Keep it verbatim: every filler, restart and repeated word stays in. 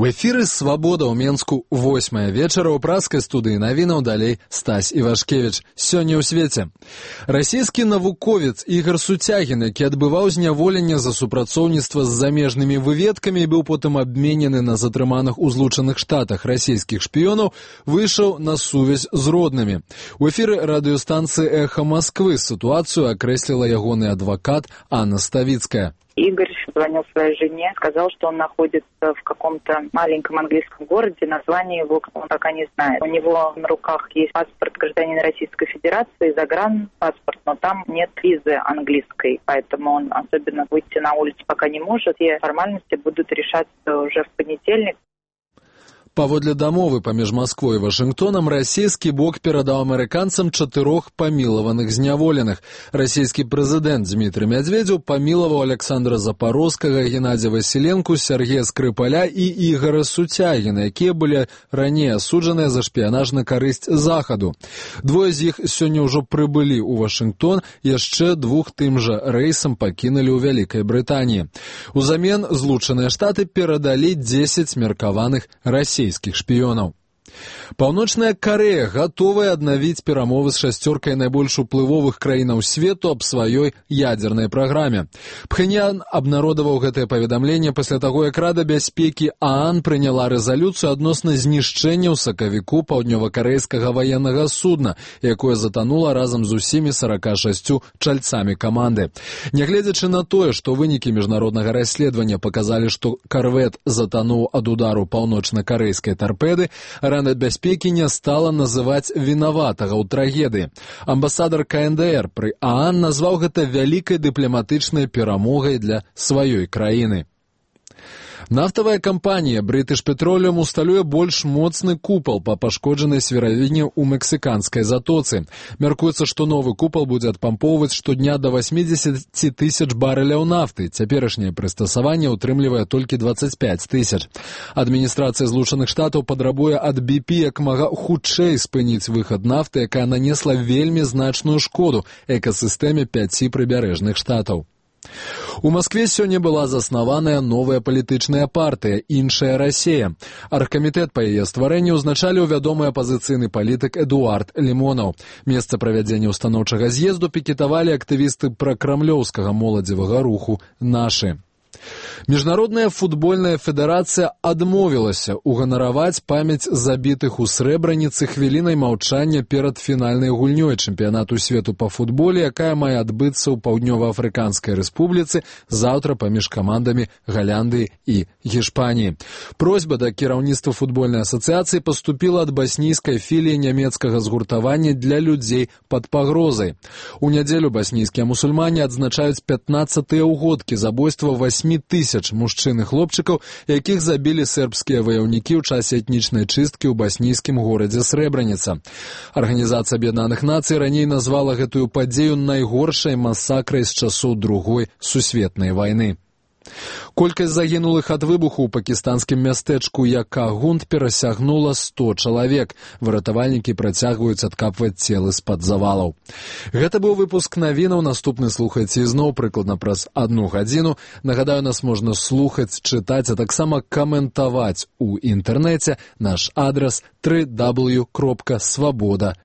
В эфіры «Свабода» ў Менску восьмая вечара ў праскай студыі навінаў далей Стась Івашкевіч. Сёння ў свеце. Расійскі навуковец Ігор Сутягін, які адбываў зняволенне за супрацоўніцтва з замежнымі выведкамі і быў потым абменены на затрыманых у Злучаных Штатах расійскіх шпіёнаў, выйшаў на сувязь з роднымі. У эфіры радыёстанцыі «Эхо Москвы» сітуацыю акрэсліла ягоны адвакат Анна Ставицкая. Игорь звонил своей жене, сказал, что он находится в каком-то маленьком английском городе, название его он пока не знает. У него на руках есть паспорт гражданина Российской Федерации, загранпаспорт, но там нет визы английской, поэтому он особенно выйти на улицу пока не может. Все формальности будут решаться уже в понедельник. Паводле дамовы паміж Масквой і Вашынгтонам расійскі бок перадаў амерыканцам чатырох памілаваных зняволеных. Расійскі прэзідэнт Дмітрый Мядзведзеў памілаваў Александра Запорозскага, Геннадзя Васіленку, Сергея Скрыпаля і Ігора Сутягіна, якія былі раней асуджаныя за шпіянаж на карысць Захаду. Двое з іх сёння ўжо прыбылі ў Вашынгтон, яшчэ двух тым жа рэйсам пакінулі ў Вялікай Брытаніі. Узамен Злучаныя Штаты перадалі дзесяць меркаваных расійскіх шпіёнаў. Паўночная Карэя гатовая аднавіць перамовы з шасцёркай найбольш уплывовых краінаў свету аб сваёй ядзернай праграме. Пхеньян абнародаваў гэтае паведамленне пасля таго, як Рада бяспекі ААН прыняла рэзалюцыю адносна знішчэння ў сакавіку паўднёвакарэйскага ваеннага судна, якое затанула разам з усімі сарака шасцю чальцамі каманды. Нягледзячы на тое, што вынікі міжнароднага расследавання паказалі, што карвет затануў ад удару паўночна-карэйскай тарпеды, Рада бяспекі не стала называць вінаватага ў трагедыі. Амбасадар КНДР пры ААН назваў гэта вялікай дыпламатычнай перамогай для сваёй краіны. Нафтавая кампанія British Petroleum усталюе больш моцны купал па пашкоджанай сверавіне ў мексіканскай затоцы. Мяркуецца, што новы купал будзе адпампоўваць штодня да восьмідзесяці тысяч барэляў нафты. Цяперашняе прыстасаванне ўтрымлівае толькі дваццаць пяць тысяч. Адміністрацыя Злучаных Штатаў падрабуе ад би пі як мага хутчэй спыніць выхад нафты, якая нанесла вельмі значную шкоду экасістэме пяці прыбярэжных штатаў. У Маскве сёння была заснаваная новая палітычная партыя «Іншая Расія». Аргкамітэт па яе стварэнні ўзначаліў вядомы апазіцыйны палітык Эдуард Лімонаў. Месца правядзення ўстаноўчага з'езду пікетавалі актывісты пракрамлёўскага моладзевага руху «Нашы». Міжнародная футбольная федэрацыя адмовілася уганараваць памяць забітых у Срэбраніцы хвілінай маўчання перад фінальнай гульнёй чэмпіянату свету па футболе, якая мае адбыцца ў Паўднёва-Афрыканскай рэспубліцы заўтра паміж камандамі Галяндыі і Гішпаніі. Просьба да кіраўніцтва футбольнай асацыяцыі паступіла ад баснійскай філіі нямецкага згуртавання для людзей пад пагрозай. У нядзелю баснійскія мусульмане адзначаюць пятнаццатыя ўгодкі забойства васьмі тысяч мужчын і хлопчыкаў, якіх забілі сербскія ваяўнікі ў часе этнічнай чысткі ў баснійскім горадзе Срэбраніца. Арганізацыя Аб'яднаных Нацый раней назвала гэтую падзею найгоршай масакрай з часоў Другой сусветнай вайны. Колькасць загінулых ад выбуху ў пакістанскім мястэчку Якагунд перасягнула сто чалавек. Выратавальнікі працягваюць адкапваць целы з-пад завалаў. Гэта быў выпуск навінаў. Наступны слухайце ізноў прыкладна праз адну гадзіну. Нагадаю, нас можна слухаць, чытаць, а таксама каментаваць у інтэрнэце. Наш адрас дабл ю дабл ю дабл ю кропка свабода